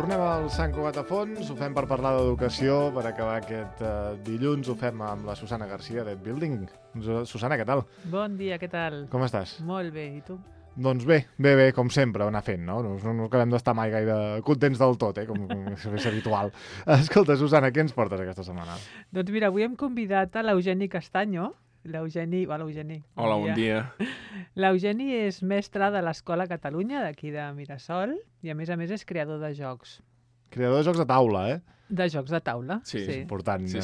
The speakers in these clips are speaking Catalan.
Tornem al Sant Cugat a Fons, ho fem per parlar d'educació, per acabar aquest dilluns, ho fem amb la Susana Garcia d'Ed Building. Susana, què tal? Bon dia, què tal? Com estàs? Molt bé, i tu? Doncs bé, com sempre, anar fent, no? No acabem d'estar mai gaire contents del tot, com és habitual. Escolta, Susana, què ens portes aquesta setmana? Doncs mira, avui hem convidat a l'Eugeni Castanyo. L'Eugeni... Hola, Eugeni. Hola, bon dia. L'Eugeni és mestre de l'Escola Catalunya, d'aquí de Mirasol, i a més és creador de jocs. Creador de jocs de taula, De jocs de taula, Sí. sí. Important. Sí.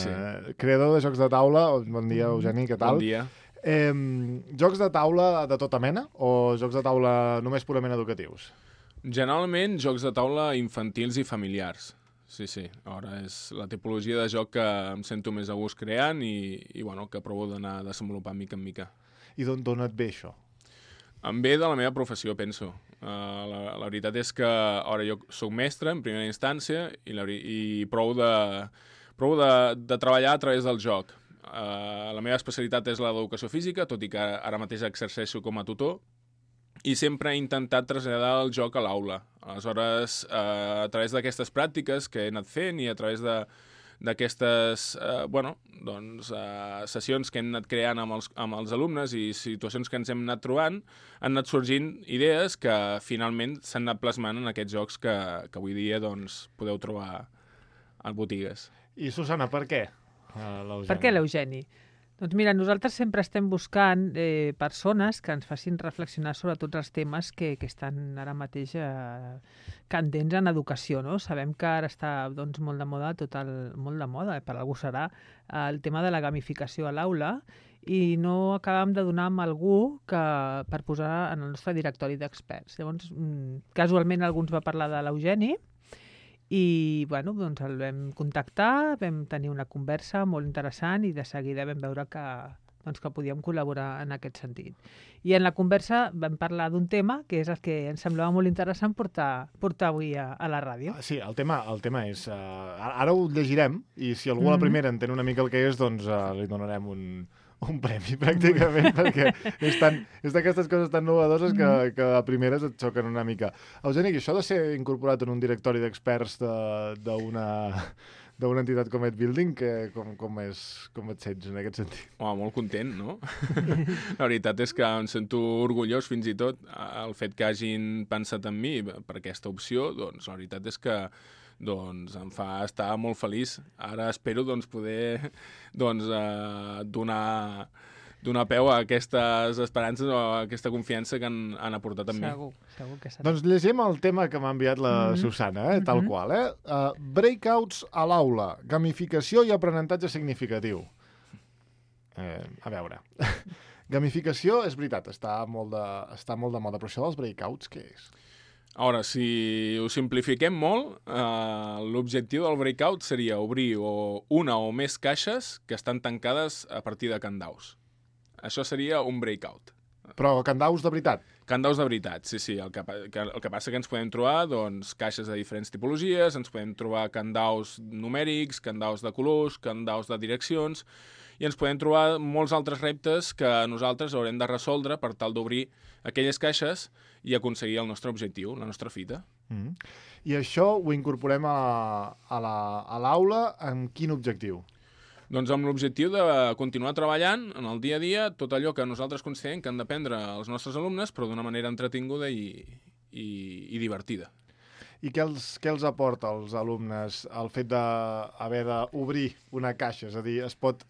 Creador de jocs de taula, bon dia, Eugeni, què tal? Bon dia. Jocs de taula de tota mena o jocs de taula només purament educatius? Generalment, jocs de taula infantils i familiars. Sí. Ara és la tipologia de joc que em sento més a gust creant i bueno, que provo d'anar desenvolupant mica en mica. I d'on et ve això? Em ve de la meva professió, penso. La veritat és que ara jo soc mestre en primera instància i provo de treballar a través del joc. La meva especialitat és l'educació física, tot i que ara mateix exerceixo com a tutor, i sempre he intentat traslladar el joc a l'aula. Aleshores, a través d'aquestes pràctiques que he anat fent i a través d'aquestes sessions que hem anat creant amb els alumnes i situacions que ens hem anat trobant, han anat sorgint idees que finalment s'han anat plasmant en aquests jocs que avui dia podeu trobar a botigues. I Susana, per què l'Eugeni? Per què l'Eugeni? Doncs mira, nosaltres sempre estem buscant persones que ens facin reflexionar sobre tots els temes que estan ara mateix candents en educació, no? Sabem que ara està molt de moda, molt de moda, per algú serà, el tema de la gamificació a l'aula i no acabem de donar amb algú per posar en el nostre directori d'experts. Llavors, casualment algú ens va parlar de l'Eugeni i doncs el vam contactar, vam tenir una conversa molt interessant i de seguida vam veure que podíem col·laborar en aquest sentit. I en la conversa vam parlar d'un tema que és el que ens semblava molt interessant portar avui a la ràdio. Sí, el tema és... ara ho llegirem i si algú a la primera entén una mica el que és, doncs li donarem un premi, pràcticament, perquè és d'aquestes coses tan novedoses que a primeres et xoquen una mica. Eugeni, això de ser incorporat en un directori d'experts d'una entitat com Ed Building, com et sents en aquest sentit? Molt content, no? La veritat és que em sento orgullós fins i tot el fet que hagin pensat en mi per aquesta opció, doncs la veritat és que em fa estar molt feliç. Ara espero poder donar peu a aquestes esperances o a aquesta confiança que han aportat en mi. Segur que serà. Doncs llegim el tema que m'ha enviat la Susana, tal qual. Breakouts a l'aula, gamificació i aprenentatge significatiu. A veure, gamificació és veritat, està molt de moda, però això dels breakouts què és? Ara, si ho simplifiquem molt, l'objectiu del breakout seria obrir una o més caixes que estan tancades a partir de candaus. Això seria un breakout. Però candaus de veritat? Candaus de veritat, sí. El que passa que ens podem trobar caixes de diferents tipologies, ens podem trobar candaus numèrics, candaus de colors, candaus de direccions, i ens podem trobar molts altres reptes que nosaltres haurem de resoldre per tal d'obrir aquelles caixes i aconseguir el nostre objectiu, la nostra fita. I això ho incorporem a l'aula amb quin objectiu? Doncs amb l'objectiu de continuar treballant en el dia a dia tot allò que nosaltres considerem que han d'aprendre els nostres alumnes, però d'una manera entretinguda i divertida. I què els aporta als alumnes el fet d'haver d'obrir una caixa? És a dir, es pot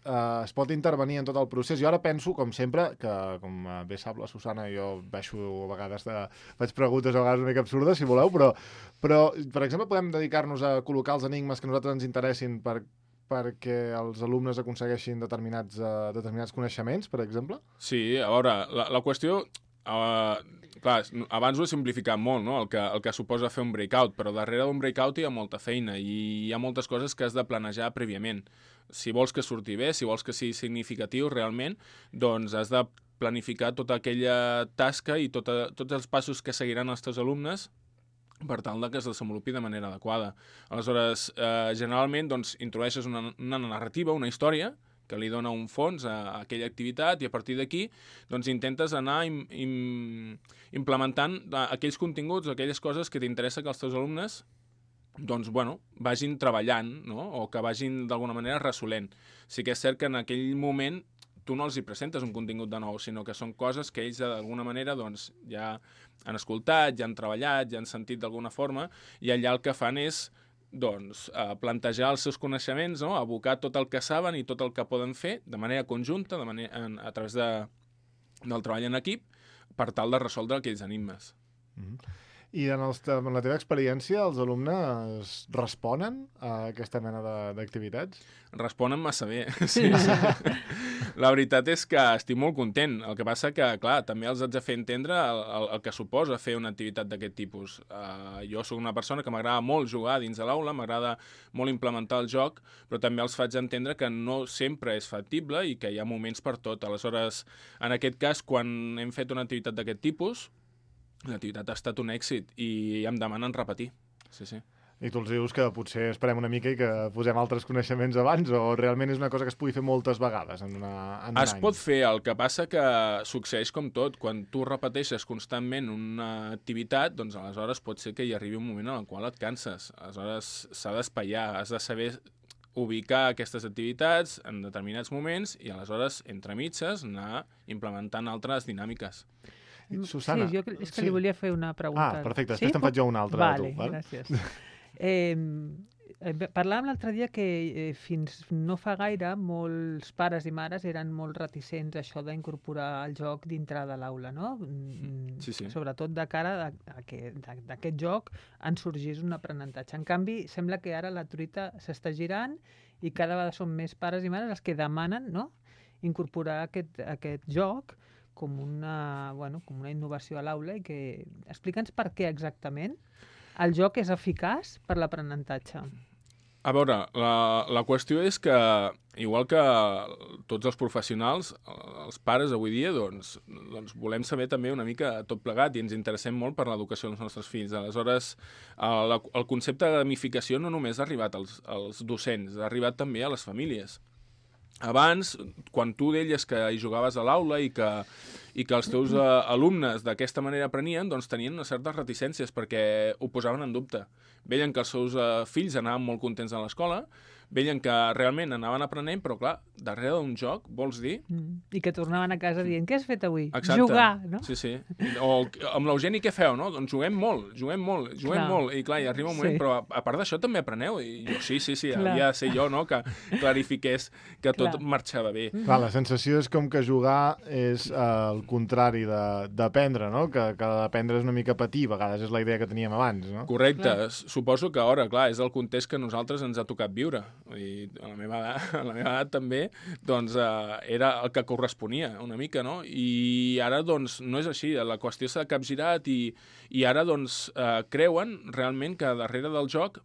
intervenir en tot el procés. Jo ara penso, com sempre, que com bé sap la Susana, jo baixo a vegades faig preguntes a vegades una mica absurdes, si voleu, però per exemple, podem dedicar-nos a col·locar els enigmes que a nosaltres ens interessin perquè els alumnes aconsegueixin determinats coneixements, per exemple? Sí, a veure, la qüestió... clar, abans ho he simplificat molt, no? El que suposa fer un breakout, però darrere d'un breakout hi ha molta feina i hi ha moltes coses que has de planejar prèviament. Si vols que surti bé, si vols que sigui significatiu realment, doncs has de planificar tota aquella tasca i tots els passos que seguiran els teus alumnes per tal que es desenvolupi de manera adequada. Aleshores, generalment introdueixes una narrativa, una història, que li dona un fons a aquella activitat i a partir d'aquí intentes anar implementant aquells continguts, aquelles coses que t'interessa que els teus alumnes doncs, bueno, vagin treballant, no? O que vagin d'alguna manera resolent. Sí que és cert que en aquell moment tu no els hi presentes un contingut de nou, sinó que són coses que ells d'alguna manera doncs, ja han escoltat, ja han treballat, ja han sentit d'alguna forma, i allà el que fan és doncs, plantejar els seus coneixements, no? Abocar tot el que saben i tot el que poden fer de manera conjunta, a través del treball en equip, per tal de resoldre aquells enigmes. I en la teva experiència, els alumnes responen a aquesta mena d'activitats? Responen massa bé, sí. La veritat és que estic molt content. El que passa que, clar, també els haig de fer entendre el que suposa fer una activitat d'aquest tipus. Jo sóc una persona que m'agrada molt jugar dins de l'aula, m'agrada molt implementar el joc, però també els faig entendre que no sempre és factible i que hi ha moments per tot. Aleshores, en aquest cas, quan hem fet una activitat d'aquest tipus, l'activitat ha estat un èxit i em demanen repetir. Sí, sí. I tu els dius que potser esperem una mica i que posem altres coneixements abans, o realment és una cosa que es pugui fer moltes vegades en un any? Es pot fer, el que passa que succeeix com tot. Quan tu repeteixes constantment una activitat, doncs aleshores pot ser que hi arribi un moment en el qual et canses. Aleshores s'ha d'espaiar, has de saber ubicar aquestes activitats en determinats moments i aleshores, entre mitges, anar implementant altres dinàmiques. Susana. Sí, és que li volia fer una pregunta. Perfecte, després te'n faig jo una altra. Vale, gràcies. Parlàvem l'altre dia que fins no fa gaire molts pares i mares eren molt reticents a això d'incorporar el joc dintre de l'aula, no? Sí, sí. Sobretot de cara a que d'aquest joc en sorgís un aprenentatge. En canvi, sembla que ara la truita s'està girant i cada vegada són més pares i mares els que demanen, no?, incorporar aquest joc com una innovació a l'aula i que... Explica'ns per què exactament el joc és eficaç per l'aprenentatge. A veure, la qüestió és que, igual que tots els professionals, els pares avui dia, doncs volem saber també una mica tot plegat i ens interessem molt per l'educació dels nostres fills. Aleshores, el concepte de gamificació no només ha arribat als docents, ha arribat també a les famílies. Abans, quan tu deies que hi jugaves a l'aula i que els teus alumnes d'aquesta manera aprenien, doncs tenien unes certes reticències perquè ho posaven en dubte. Veien que els seus fills anaven molt contents a l'escola, veien que realment anaven aprenent, però clar, darrere d'un joc, vols dir... I que tornaven a casa dient, què has fet avui? Exacte. Jugar, no? Sí, sí. O amb l'Eugeni què feu, no? Doncs juguem molt. I clar, hi arriba un moment, però a part d'això també apreneu. I jo, sí, havia de ser jo, no?, que clarifiqués que tot marxava bé. Clar, la sensació és com que jugar és el contrari d'aprendre, no? Que d'aprendre és una mica patir, a vegades és la idea que teníem abans, no? Correcte. Suposo que ara, clar, és el context que a nosaltres ens ha tocat viure. I a la meva edat també, doncs era el que corresponia una mica, no? I ara, doncs, no és així. La qüestió s'ha capgirat i ara, doncs, creuen realment que darrere del joc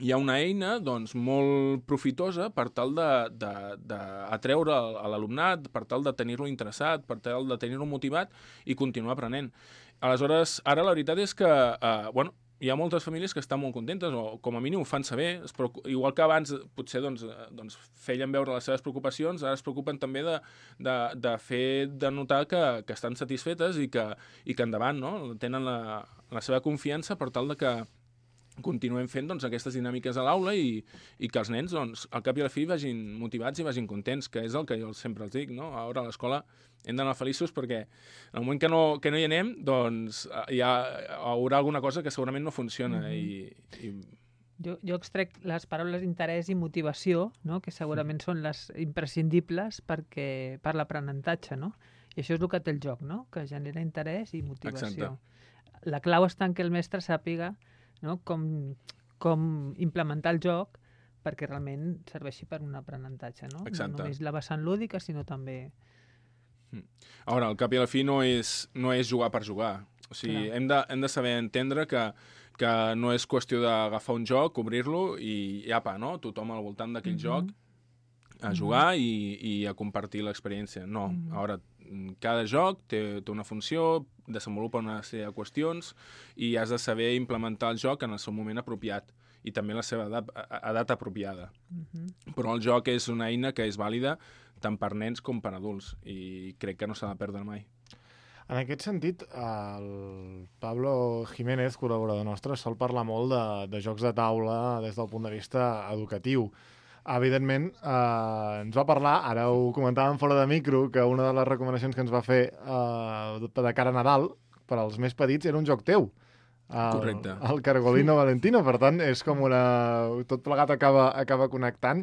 hi ha una eina, doncs, molt profitosa per tal d'atreure a l'alumnat, per tal de tenir-lo interessat, per tal de tenir-lo motivat i continuar aprenent. Aleshores, ara la veritat és que, hi ha moltes famílies que estan molt contentes, o com a mínim ho fan saber, igual que abans potser doncs, feien veure les seves preocupacions, ara es preocupen també de fer de notar que estan satisfetes i que endavant, no?, tenen la seva confiança per tal de que continuem fent doncs, aquestes dinàmiques a l'aula i que els nens, doncs, al cap i a la fi vagin motivats i vagin contents, que és el que jo sempre els dic, no? Ara a l'escola hem d'anar feliços perquè en el moment que no hi anem, doncs hi haurà alguna cosa que segurament no funciona. Jo extrec les paraules interès i motivació, no?, que segurament són les imprescindibles per l'aprenentatge, no? I això és el que té el joc, no?, que genera interès i motivació. Exacte. La clau està en que el mestre sàpiga, no?, com implementar el joc perquè realment serveixi per un aprenentatge, no? Exacte. No només la vessant lúdica, sinó també... Ara, al cap i a la fi no és jugar per jugar. O sigui, hem de saber entendre que no és qüestió d'agafar un joc, obrir-lo i apa, no?, tothom al voltant d'aquell joc a jugar i a compartir l'experiència. No, ara, cada joc té una funció, desenvolupa una sèrie de qüestions i has de saber implementar el joc en el seu moment apropiat i també la seva edat apropiada. Però el joc és una eina que és vàlida tant per nens com per adults i crec que no s'ha de perdre mai. En aquest sentit, el Pablo Jiménez, col·laborador nostre, sol parlar molt de jocs de taula des del punt de vista educatiu. Evidentment, ens va parlar, ara ho comentàvem fora de micro, que una de les recomanacions que ens va fer de cara a Nadal, per als més petits, era un joc teu. Correcte. El Cargolino Valentino, per tant, és com tot plegat acaba connectant.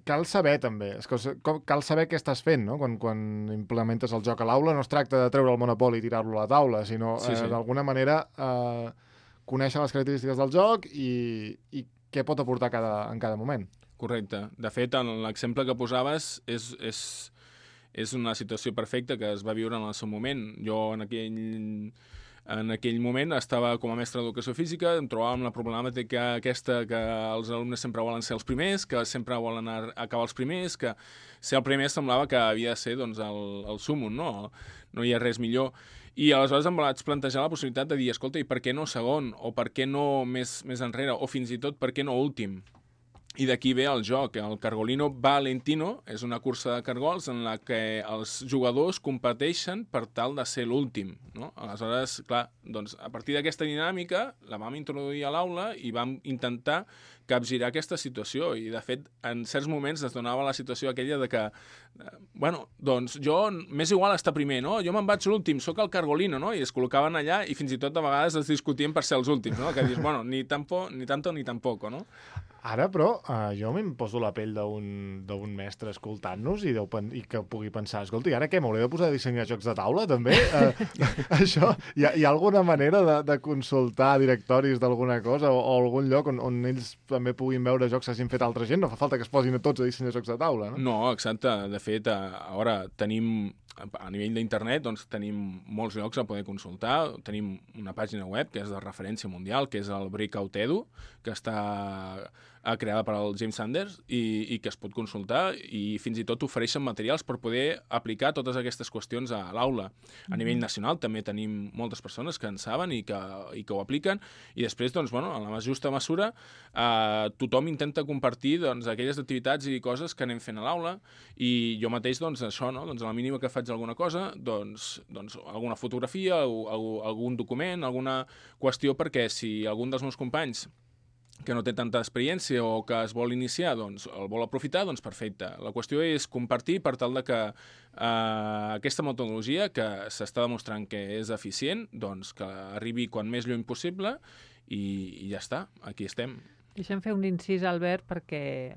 Cal saber també, cal saber què estàs fent, no? Quan implementes el joc a l'aula no es tracta de treure el Monopoly i tirar-lo a la taula, sinó d'alguna manera conèixer les característiques del joc i què pot aportar en cada moment. Correcte. De fet, l'exemple que posaves és una situació perfecta que es va viure en el seu moment. Jo en aquell moment estava com a mestre d'educació física, em trobava amb la problemàtica aquesta que els alumnes sempre volen ser els primers, que sempre volen acabar els primers, que ser el primer semblava que havia de ser doncs, el súmmum, no? No hi ha res millor. I aleshores em vaig plantejar la possibilitat de dir, escolta, i per què no segon? O per què no més enrere? O fins i tot, per què no últim? I d'aquí ve el joc. El Cargolino Valentino és una cursa de cargols en la que els jugadors competeixen per tal de ser l'últim, no? Aleshores, clar, doncs, a partir d'aquesta dinàmica la vam introduir a l'aula i vam intentar capgirar aquesta situació i, de fet, en certs moments es donava la situació aquella de que bueno, doncs jo m'és igual estar primer, no? Jo me'n vaig l'últim, sóc el Cargolino, no? I es col·locaven allà i fins i tot a vegades es discutien per ser els últims, no? Que dius, bueno, ni tanto ni tampoco, no? Ara, però, jo me'n poso la pell d'un mestre escoltant-nos i que pugui pensar, escolta, i ara què, m'hauré de posar a dissenyar jocs de taula, també? Això, hi ha alguna manera de consultar directoris d'alguna cosa o algun lloc on ells també puguin veure jocs que hagin fet altra gent? No fa falta que es posin a tots a dissenyar jocs de taula, no? No, exacte. De fet, ara tenim, a nivell d'internet, doncs tenim molts llocs a poder consultar. Tenim una pàgina web que és de referència mundial, que és el Breakout Edu, que està creada per al James Sanders i que es pot consultar i fins i tot ofereixen materials per poder aplicar totes aquestes qüestions a l'aula. A nivell nacional també tenim moltes persones que en saben i que ho apliquen i després, doncs, bueno, en la justa mesura tothom intenta compartir doncs, aquelles activitats i coses que anem fent a l'aula i jo mateix, doncs, això, no? Doncs a la mínima que faig alguna cosa, doncs alguna fotografia, algun document, alguna qüestió perquè si algun dels meus companys que no té tanta experiència o que es vol iniciar, doncs el vol aprofitar, doncs perfecte. La qüestió és compartir per tal de que aquesta metodologia, que s'està demostrant que és eficient, doncs que arribi quan més lluny possible i ja està, aquí estem. Deixa'm fer un incís, Albert, perquè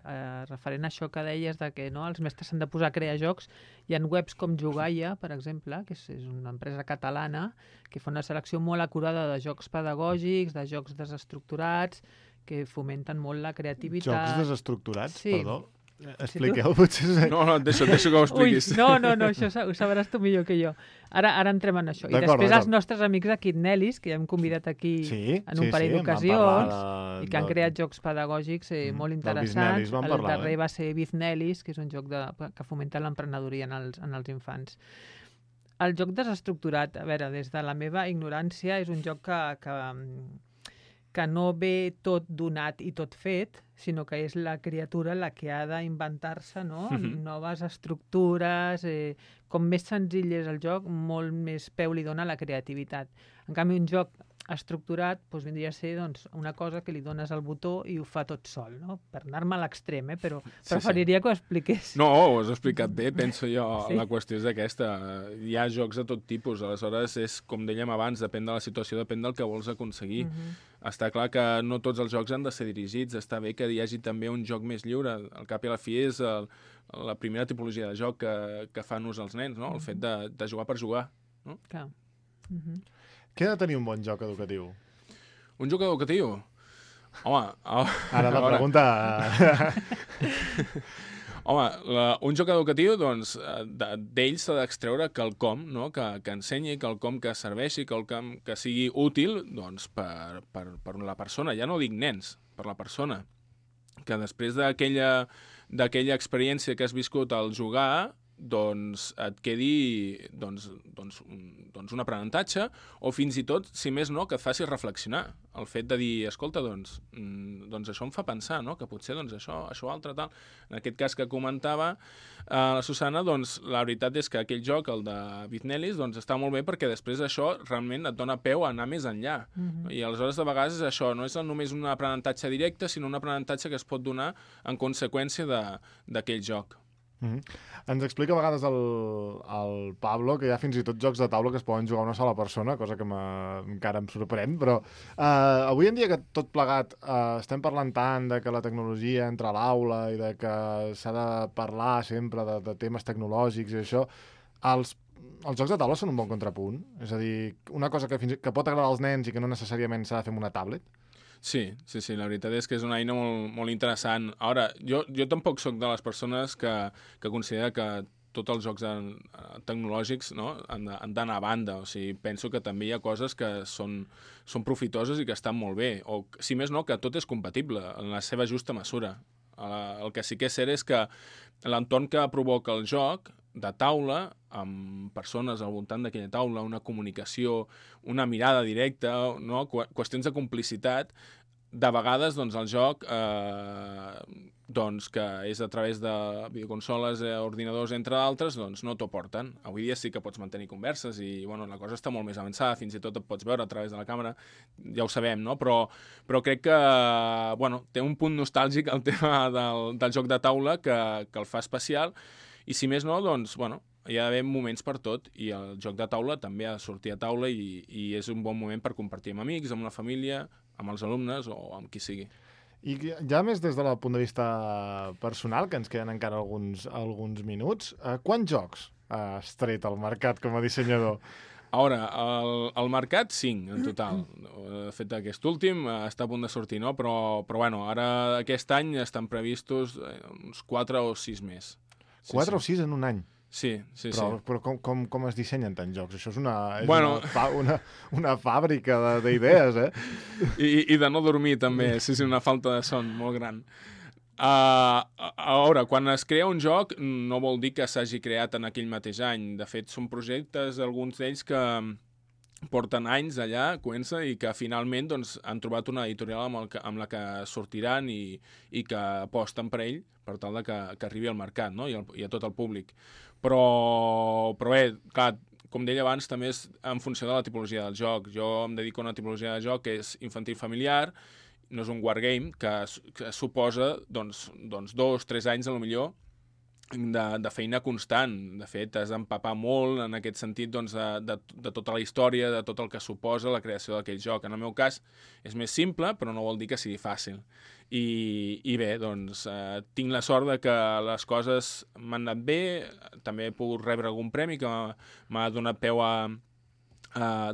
referent a això que deies de que no, els mestres s'han de posar a crear jocs, hi ha webs com Jugaia, per exemple, que és una empresa catalana que fa una selecció molt acurada de jocs pedagògics, de jocs desestructurats, que fomenten molt la creativitat. Jocs desestructurats, sí. Perdó? Expliqueu, potser... No, et deixo que ho expliquis. Ui, no, això ho sabràs tu millor que jo. Ara entrem en això. I després els nostres amics de Kidnelis, que ja hem convidat aquí en un parell d'ocasions, i que han creat jocs pedagògics molt interessants. El darrer va ser Biznelis, que és un joc que fomenta l'emprenedoria en els infants. El joc desestructurat, a veure, des de la meva ignorància, és un joc que no ve tot donat i tot fet, sinó que és la criatura la que ha d'inventar-se, no? Noves estructures, com més senzill és el joc, molt més peu li dona la creativitat. En canvi, un joc estructurat doncs, vindria a ser una cosa que li dones al botó i ho fa tot sol, no? Per anar-me a l'extrem, però preferiria que ho expliqués. No, ho has explicat bé, penso jo. Sí? La qüestió és aquesta. Hi ha jocs de tot tipus, aleshores és, com dèiem abans, depèn de la situació, depèn del que vols aconseguir. Està clar que no tots els jocs han de ser dirigits, està bé que hi hagi també un joc més lliure. Al cap i a la fi és la primera tipologia de joc que fan ús els nens, no? El fet de jugar per jugar. No? Clar. Què ha de tenir un bon joc educatiu? Un joc educatiu? Home... Ara la pregunta... Home, un joc educatiu, doncs, d'ell s'ha d'extreure quelcom, no? Que ensenyi, quelcom que serveixi, quelcom que sigui útil, doncs, per la persona. Ja no dic nens, per la persona. Que després d'aquella experiència que has viscut al jugar, doncs et quedi un aprenentatge, o fins i tot, si més no, que et faci reflexionar. El fet de dir, escolta, doncs això em fa pensar, no? Que potser això altre tal. En aquest cas que comentava la Susana, doncs la veritat és que aquell joc, el de Bitnelis, doncs està molt bé perquè després això realment et dona peu a anar més enllà. I aleshores de vegades això no és només un aprenentatge directe, sinó un aprenentatge que es pot donar en conseqüència d'aquell joc. Ens explica a vegades el Pablo que hi ha fins i tot jocs de taula que es poden jugar una sola persona, cosa que encara em sorprèn, però avui en dia que tot plegat estem parlant tant de que la tecnologia entra a l'aula i de que s'ha de parlar sempre de temes tecnològics i això, els jocs de taula són un bon contrapunt? És a dir, una cosa que pot agradar als nens i que no necessàriament s'ha de fer amb una tablet? Sí, la veritat és que és una eina molt, molt interessant. Ara, jo tampoc sóc de les persones que considera que tots els jocs tecnològics, no, han d'anar a banda. O sigui, penso que també hi ha coses que són profitoses i que estan molt bé. O, si més no, que tot és compatible en la seva justa mesura. El que sí que és cert és que l'entorn que provoca el joc de taula, amb persones al voltant d'aquella taula, una comunicació, una mirada directa, no? Qüestions de complicitat, de vegades doncs, el joc que és a través de videoconsoles, ordinadors, entre d'altres, doncs no t'ho porten. Avui dia sí que pots mantenir converses i la cosa està molt més avançada, fins i tot et pots veure a través de la càmera, ja ho sabem, no? Però crec que té un punt nostàlgic el tema del joc de taula que el fa especial. I si més no, doncs, hi ha d'haver moments per tot i el joc de taula també ha de sortir a taula i és un bon moment per compartir amb amics, amb la família, amb els alumnes o amb qui sigui. I ja més des del punt de vista personal, que ens queden encara alguns minuts, quants jocs has tret al mercat com a dissenyador? Ara, al mercat 5 en total. De fet, aquest últim està a punt de sortir, no? Però ara aquest any estan previstos uns 4 o 6 més. 4 o 6 en un any? Sí. Però com es dissenyen tants jocs? Això és una fàbrica d'idees, I de no dormir, també. Sí, una falta de son molt gran. A veure, quan es crea un joc no vol dir que s'hagi creat en aquell mateix any. De fet, són projectes, alguns d'ells que porten anys allà, comença, i que finalment doncs, han trobat una editorial amb la que sortiran i que aposten per ell per tal de que arribi al mercat, no? I a tot el públic. Però bé, clar, com deia abans, també és en funció de la tipologia del joc. Jo em dedico a una tipologia de joc que és infantil familiar, no és un wargame, que suposa 2-3 anys, a lo millor, de feina constant. De fet, has d'empapar molt en aquest sentit de tota la història, de tot el que suposa la creació d'aquell joc. En el meu cas és més simple, però no vol dir que sigui fàcil. I bé, doncs, tinc la sort de que les coses m'han anat bé, també he pogut rebre algun premi que m'ha donat peu a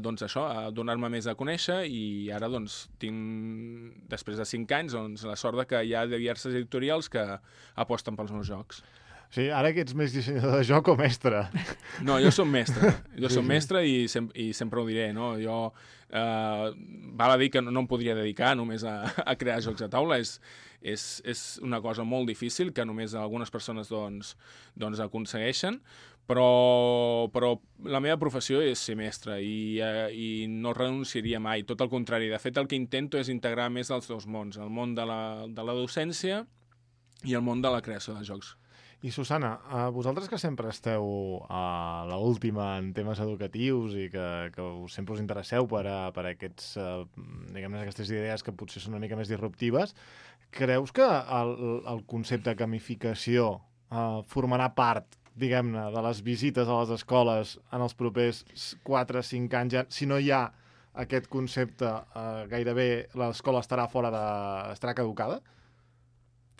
donar-me més a conèixer, i ara tinc, després de 5 anys, la sort de que hi ha diverses editorials que aposten pels meus jocs. Sí, ara que ets més dissenyador de joc o mestre? No, jo soc mestre. Mestre i sempre ho diré, no? Jo val a dir que no em podria dedicar només a crear jocs de taula. És una cosa molt difícil que només algunes persones aconsegueixen, però la meva professió és ser mestre i no renunciaria mai. Tot el contrari. De fet, el que intento és integrar més els dos mons, el món de la docència i el món de la creació de jocs. I Susana, vosaltres que sempre esteu a l'última en temes educatius i que sempre us interesseu per aquestes idees que potser són una mica més disruptives, creus que el concepte de gamificació formarà part, diguem-ne, de les visites a les escoles en els propers 4-5 anys? Si no hi ha aquest concepte, gairebé l'escola estarà estarà caducada?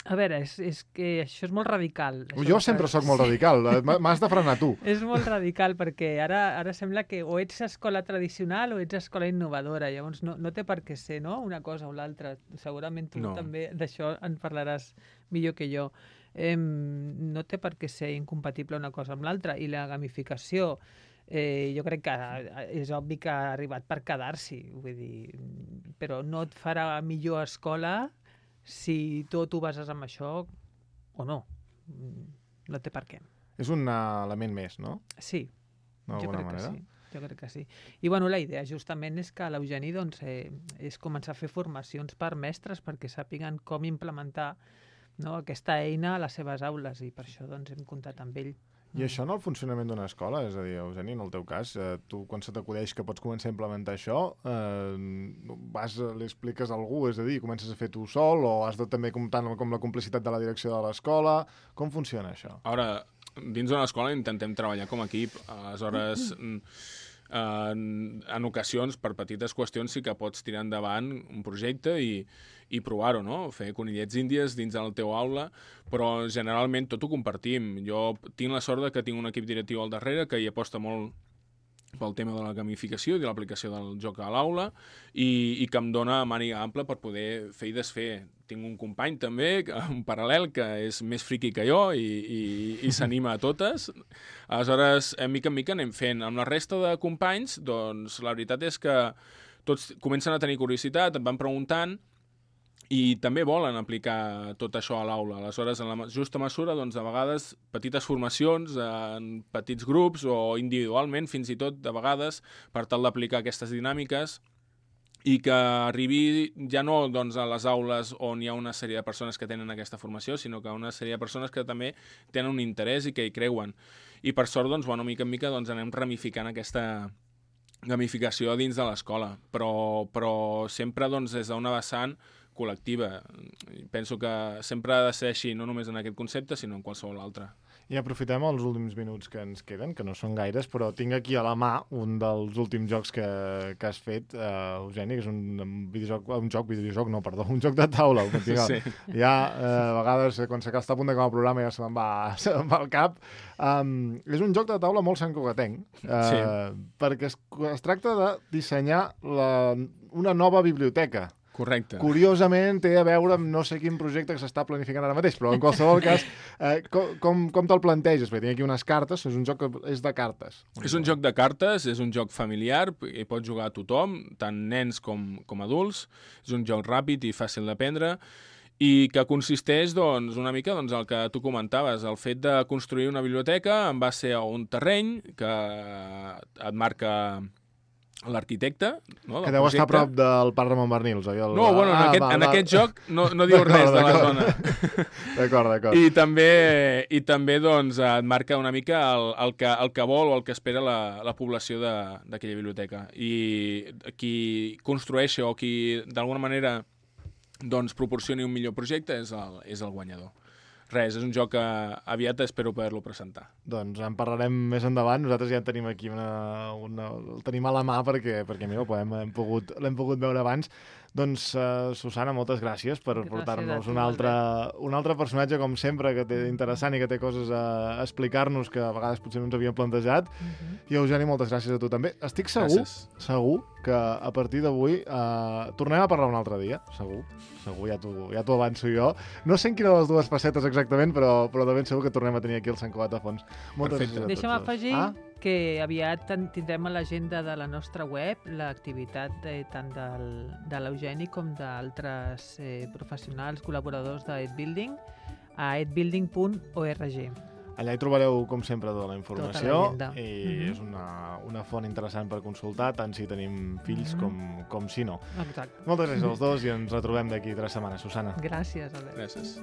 A veure, és que això és molt radical. Jo sempre sóc molt radical, m'has de frenar tu. És molt radical perquè ara sembla que o ets escola tradicional o ets escola innovadora, llavors no té per què ser, no?, una cosa o l'altra. Segurament tu també d'això en parlaràs millor que jo. No té per què ser incompatible una cosa amb l'altra, i la gamificació jo crec que és obvi que ha arribat per quedar-s'hi, vull dir, però no et farà millor escola si tot ho bases amb això o no. No té per què. És un element més, no? Sí, jo D'alguna crec manera. que sí. Jo crec que sí. I bueno, la idea justament és que l'Eugeni doncs, és començar a fer formacions per mestres perquè sàpiguen com implementar, no, aquesta eina a les seves aules i per això doncs, hem comptat amb ell. I això en el funcionament d'una escola? És a dir, Eugeni, en el teu cas, tu quan se t'acudeix que pots començar a implementar això, li expliques a algú, és a dir, comences a fer tu sol o has de també comptar com la complicitat de la direcció de l'escola? Com funciona això? Ara, dins d'una escola intentem treballar com a equip. Aleshores, en ocasions, per petites qüestions, sí que pots tirar endavant un projecte i provar-ho, no? Fer conillets índies dins del teu aula, però generalment tot ho compartim. Jo tinc la sort de que tinc un equip directiu al darrere que hi aposta molt pel tema de la gamificació i de l'aplicació del joc a l'aula i que em dona màniga ampla per poder fer i desfer. Tinc un company també, un paral·lel, que és més friqui que jo i s'anima a totes. Aleshores, mica en mica anem fent. Amb la resta de companys, doncs la veritat és que tots comencen a tenir curiositat, et van preguntant i també volen aplicar tot això a l'aula. Aleshores, en la justa mesura, doncs, de vegades, petites formacions en petits grups o individualment, fins i tot, de vegades, per tal d'aplicar aquestes dinàmiques i que arribi ja no doncs, a les aules on hi ha una sèrie de persones que tenen aquesta formació, sinó que una sèrie de persones que també tenen un interès i que hi creuen. I per sort, doncs, bueno, mica en mica doncs, anem ramificant aquesta gamificació dins de l'escola, però sempre doncs, des d'una vessant col·lectiva. Penso que sempre ha de ser així, no només en aquest concepte, sinó en qualsevol altre. I aprofitem els últims minuts que ens queden, que no són gaires, però tinc aquí a la mà un dels últims jocs que has fet, Eugeni, que és un joc de taula. Sí. Ja, a vegades, quan està a punt d'acabar el programa, ja se me'n va al cap. És un joc de taula molt santcugatenc, perquè es tracta de dissenyar una nova biblioteca. Correcte. Curiosament té a veure amb no sé quin projecte que s'està planificant ara mateix, però en qualsevol cas, com te'l planteges? Perquè tinc aquí unes cartes, és un joc que és de cartes. És un joc de cartes, és un joc familiar, i pot jugar a tothom, tant nens com adults. És un joc ràpid i fàcil d'aprendre, i que consisteix doncs, una mica doncs, el que tu comentaves, el fet de construir una biblioteca en base a un terreny que et marca l'arquitecte, no, que deu estar a prop del Parc Ramon Barnils, oi? No, bueno, en aquest joc no diu res de la zona. D'acord. I també doncs, et marca una mica el que vol o el que espera la població d'aquella biblioteca. I qui construeixi o qui d'alguna manera doncs, proporcioni un millor projecte és el guanyador. Res, és un joc que aviat espero poder-lo presentar. Doncs en parlarem més endavant. Nosaltres ja en tenim aquí el tenim a la mà perquè mira, l'hem pogut veure abans. Doncs, Susana, moltes gràcies per portar-nos un altre personatge, com sempre, que té interessant i que té coses a explicar-nos que a vegades potser no ens havíem plantejat. I, Eugeni, moltes gràcies a tu també. Estic segur que a partir d'avui tornem a parlar un altre dia. Segur, ja t'ho avanço jo. No sé en quina de les dues facetes exactament, però de ben segur que tornem a tenir aquí el Sant Cugat a fons. Moltes gràcies a tots. Deixa'm afegir que aviat tindrem a l'agenda de la nostra web l'activitat tant de l'Eugeni com d'altres professionals, col·laboradors d'EdBuilding a edbuilding.org. Allà hi trobareu, com sempre, tota la informació i és una font interessant per consultar, tant si tenim fills com si no. Exacte. Moltes gràcies als dos i ens retrobem d'aquí 3 setmanes. Susana. Gràcies, Albert. Gràcies.